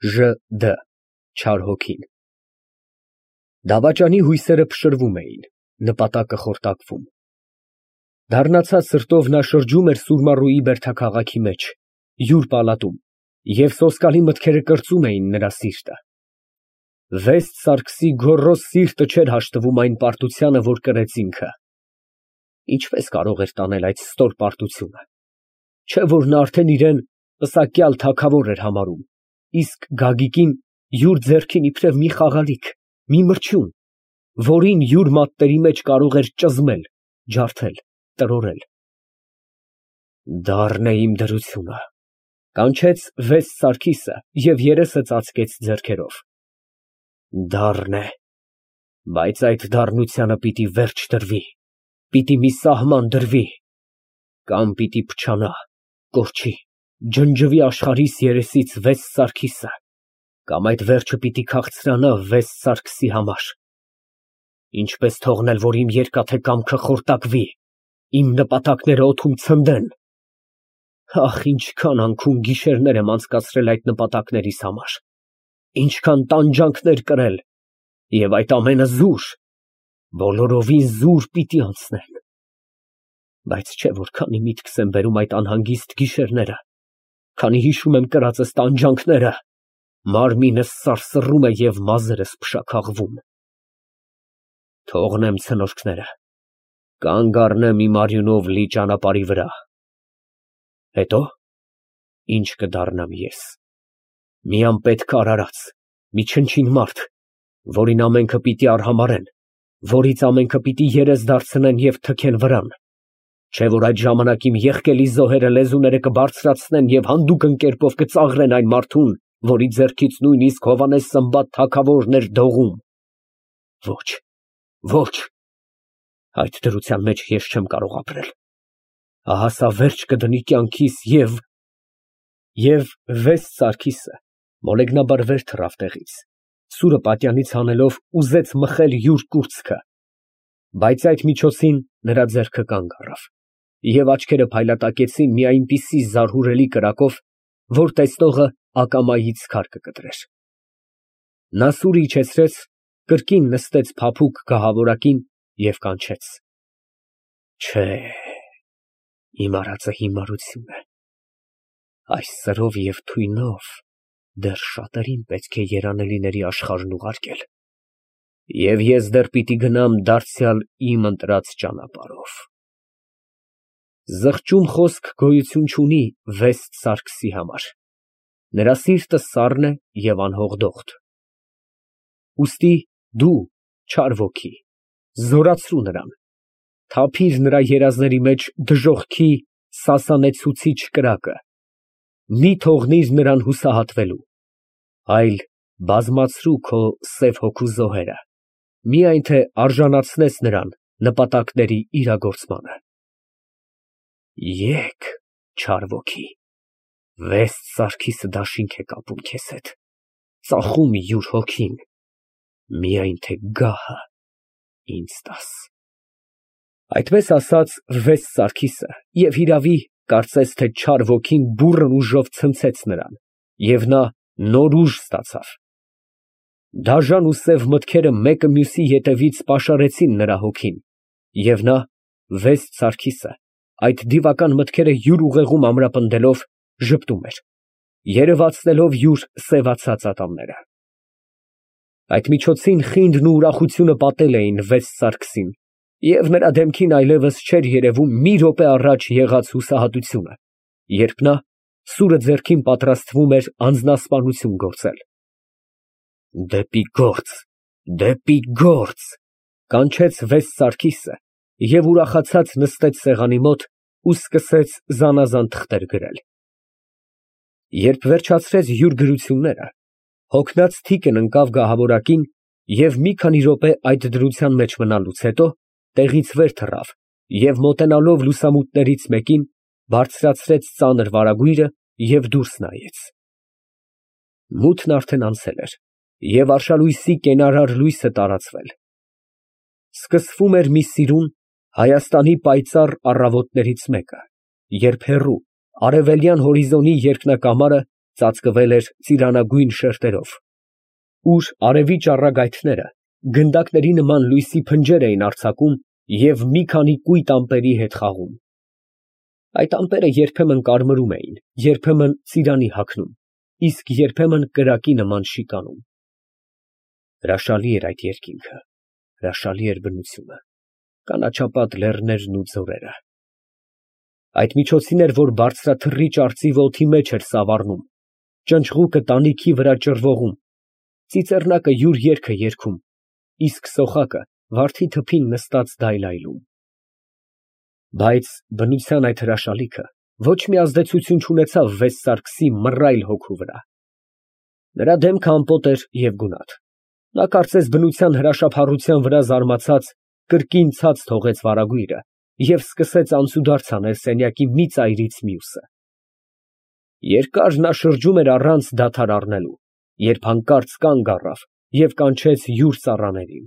Ժ.Դ. Չար հոգին։ Դավաճանի հույսերը փշրվում էին, նպատակը խորտակվում։ Դառնացած սրտով նա շրջում էր Սուրմառուի բերդաքաղաքի մեջ, յուր պալատում, և սոսկալի մտքերը կրծում էին նրա սիրտը։ Վեստ Սարգսի գոռոզ սիրտը չէր հաշտվում այն պարտությանը, որ կրեց ինքը։ Ինչպես կարող էր տանել այդ ստոր պարտությունը, չէ՞ որ նա արդեն իրեն պսակյալ թագավոր էր համարում, իսկ Գագիկին յուր ձեռքին իբրև մի խաղալիք, մի մրջյուն, որին յուր մատների մեջ կարող էր ճզմել, ջարդել, տրորել։ Դառն է իմ դրությունը, կանչեց Վեստ Սարգիսը և երեսը ծածկեց ձեռքերով։ Դառն է, բայց այդ դառնությանը պիտի վերջ տրվի, պիտի մի սահման դրվի, կամ պիտի փչանա, կորչի, ջնջվի աշխարհիս երեսից Վեստ Սարգիսը, կամ այդ վերջը պիտի քաղցրանա Վեստ Սարգսի համար։ Ինչպես թողնել, որ իմ երկաթե կամքը խորտակվի, իմ նպատակները օդում ցնդեն։ Ախ, ինչքան անքուն գիշերներ եմ անցկացրել այդ նպատակներիս համար, ինչքան տանջանքներ կրել, և այդ ամենը զուր, բոլորովին զուր պիտի անցնեն։ Բայց չէ որ քանի միտքս եմ բերում այդ անհանգիստ գիշերները, քանի հիշում եմ կրածս տանջանքները, մարմինս սարսռում է և մազերս փշաքաղվում։ Թողնեմ ցնորքները, կանգ առնեմ իմ արյունով լի ճանապարհի վրա։ Հետո ինչ կդառնամ ես։ Մի անպետք արարած, մի չնչին մարդ, որին ամենքը պիտի արհամարհեն, որից ամենքը պիտի երես դարձնեն և թքեն վրան։ Չէ որ այդ ժամանակ իմ եղկելի զոհերը լեզուները կբարձրացնեն և հանդուգն կերպով կծաղրեն այն մարդուն, որի ձեռքից նույնիսկ Հովհաննես Սմբատ թագավորն էր դողում։ Ոչ, ոչ, այդ դրության մեջ ես չեմ կարող ապրել։ Ահա սա վերջ կդնի կյանքիս և Վեստ Սարգիսը մոլեգնաբար վեր թռավ տեղից, սուրը պատյանից հանելով ուզեց մխել յուր կուրծքը, բայց այդ միջոցին նրա ձեռքը կանգ առավ, և աչքերը փայլատակեցին մի այնպիսի զարհուրելի կրակով, որ տեսնողը ակամայից քար կկտրեր։ Նա սուրը իջեցրեց, կրկին նստեց փափուկ գահավորակին և կանչեց. Չէ, իմ արածը հիմարություն է, այս սրով և թույնով դեռ շատերին պետք է երանելիների աշխարհն ուղարկել, և ես դեռ պիտի գնամ դարձյալ իմ ընտրած ճանապարհով։ Զղջում խոսք գոյություն չունի Վեստ Սարգսի համար, նրա սիրտը սառն է և անհողդողդ։ Ուստի դու, չար ոգի, զորացրու նրան, թափիր նրա երազների մեջ դժոխքի սասանեցուցիչ կրակը, մի թողնիր նրան հուսահատվելու, այլ բազմացրու քո սև հոգու զոհերը, միայն թե արժանացնես նրան նպատակների իրագործմանը։ Եկ, չար ոգի, Վեստ Սարգիսը դաշինք է կապում քեզ հետ, ծախում յուր հոգին, միայն թե գահը ինձ տաս։ Այդպես ասաց Վեստ Սարգիսը և հիրավի, կարծես թե չար ոգին բուռն ուժով ցնցեց նրան, և նա նոր ուժ ստացավ։ Դաժան ու սև մտքերը մեկը մյուսի ետևից պաշարեցին նրա հոգին, և նա, Վեստ Սարգիսը, այդ դիվական մտքերը յուր ուղեղում ամրապնդելով, ժպտում էր, երևացնելով յուր սևացած ատամները։ Այդ միջոցին խինդն ու ուրախությունը պատել էին Վեստ Սարգսին, և նրա դեմքին այլևս չէր երևում մի րոպե առաջ եղած հուսահատությունը, երբ նա սուրը ձեռքին պատրաստվում էր անձնասպանություն գործել։ Դեպի գործ, դեպի գործ, կանչեց Վեստ Սարգիսը և ուրախացած նստեց սեղանի մոտ ու սկսեց զանազան թղթեր գրել։ Երբ վերջացրեց յուր գրությունները, հոգնած թիկն ընկավ գահավորակին և մի քանի րոպե այդ դրության մեջ մնալուց հետո տեղից վեր թռավ և մոտենալով լուսամուտներից մեկին, բարձրացրեց ծանր վարագույրը և դուրս նայեց։ Մութն արդեն անցել էր և արշալույսի կենարար լույսը տարածվել։ Սկսվում էր մի սիրուն Հայաստանի պայծառ առավոտներից մեկը, երբ հեռու, արևելյան հորիզոնի երկնակամարը ծածկվել էր ծիրանագույն շերտերով, ուր արևի ճառագայթները գնդակների նման լույսի փնջեր էին արձակում և մի քանի կույտ ամպերի հետ խաղում. այդ ամպերը երբեմն կարմրում էին, երբեմն ծիրանի հագնում, իսկ երբեմն կրակի նման շիկանում։ Հրաշալի էր այդ երկինքը, հրաշալի էր բնությունը, կանաչապատ լեռներն ու ձորերը։ Այդ միջոցին էր, որ բարձրաթռիչ արծիվը օդի մեջ էր սավառնում, ճնճղուկը տանիքի վրա ճռվողում, ծիծեռնակը յուր երգը երգում, իսկ սոխակը վարդի թփին նստած դայլայլում։ Բայց բնության այդ հրաշալիքը ոչ մի ազդեցություն չունեցավ Վեստ Սարգսի մռայլ հոգու վրա։ Նրա դեմքը ամպոտ էր և գունատ։ Նա կարծես բնության հրաշափառության վրա զարմացած կրկին ցած թողեց վարագույրը և սկսեց անցուդարձ անել սենյակի մի ծայրից մյուսը։ Երկար նա շրջում էր առանց դադար առնելու, երբ հանկարծ կանգ առավ և կանչեց յուր ծառաներին։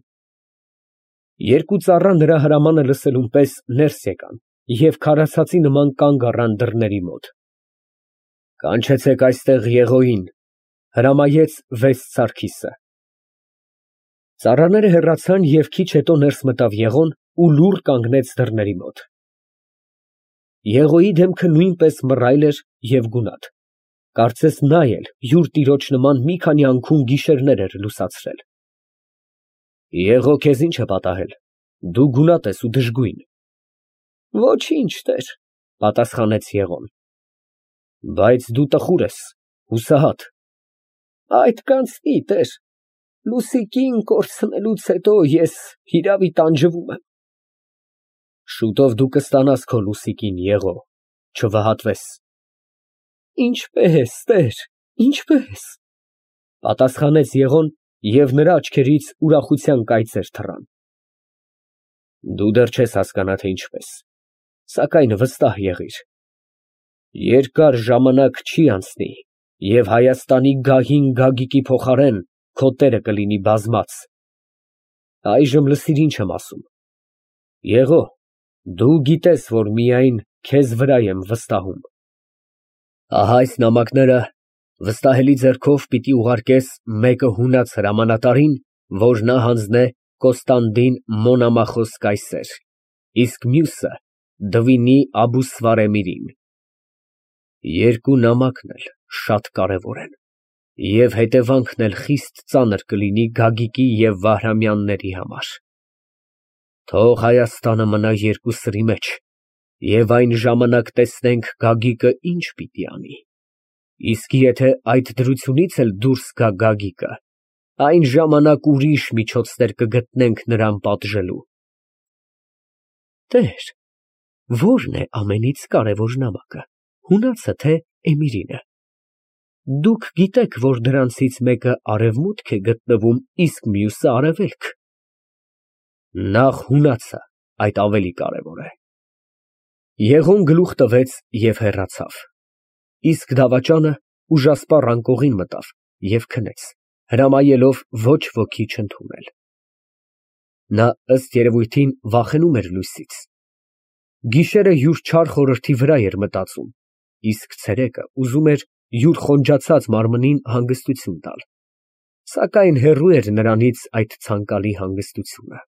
Երկու ծառա նրա հրամանը լսելուն պես ներս եկան և քարացածի նման կանգ առան դռների մոտ։ «Կանչեցեք այստեղ Եղոյին», հրամայեց Վեստ Սարգիսը։ Ծառաները հեռացան և քիչ հետո ներս մտավ Եղոն ու լուռ կանգնեց դռների մոտ։ Եղոյի դեմքը նույնպես մռայլ էր և գունատ, կարծես նա էլ յուր տիրոջ նման մի քանի անգամ գիշերներ էր լուսացրել։ «Եղո, քեզ ի՞նչ է պատահել, դու գունատ ես ու դժգույն»։ «Ոչինչ, տեր», պատասխանեց Եղոն։ «Բայց դու տխուր ես, հուսահատ»։ «Այդ կանցնի, տեր, Լուսիկին կորցնելուց հետո ես հիրավի տանջվում եմ»։ «Շուտով դու կստանաս քո Լուսիկին, Եղո, չվհատվես»։ «Ինչպե՞ս, տեր, ինչպե՞ս», պատասխանեց Եղոն, և նրա աչքերից ուրախության կայծեր թռան։ «Դու դեռ չես հասկանա, թե ինչպես, սակայն վստահ եղիր. երկար ժամանակ չի անցնի, և Հայաստանի գահին Գագիկի փոխարեն քո տերը կլինի բազմած։ Այժմ լսիր, ինչ եմ ասում. Եղո, դու գիտես, որ միայն քեզ վրա եմ վստահում։ Ահա այս նամակները վստահելի ձեռքով պիտի ուղարկես մեկը հունած հրամանատարին, որ նա հանձնե Կոստանդին Մոնամախոս կայսեր, իսկ մյուսը Դվինի Աբուսվարեմիրին։ Երկու նամակն էլ շատ կարևոր են, և հետևանքն էլ խիստ ծանր կլինի Գագիկի և Վահրամյանների համար։ Թող Հայաստանը մնա երկու սրի մեջ, և այն ժամանակ տեսնենք Գագիկը ինչ պիտի անի։ Իսկ եթե այդ դրությունից էլ դուրս գա Գագիկը, այն ժամանակ ուրիշ միջոցներ կգտնենք նրան պատժելու։ Տեր, ո՞րն է ամենից կարևոր նամակը, հունացը, թե Էմիրինը։ Դուք գիտեք, որ դրանցից մեկը արևմուտք է գտնվում, իսկ մյուսը արևելք։ Նախ հունացը, այդ ավելի կարևոր է։ Եղոն գլուխ տվեց և հեռացավ, իսկ դավաճանը ուժասպառ անկողին մտավ և քնեց, հրամայելով ոչ ոքի չընդունել։ Նա, ըստ երևույթին, վախենում էր լույսից։ Գիշերը յուր չար խորհրդի վրա էր մտածում, իսկ ցերեկը ուզում էր յուր խոնջացած մարմնին հանգստություն տալ, սակայն հեռու էր նրանից այդ ցանկալի հանգստությունը։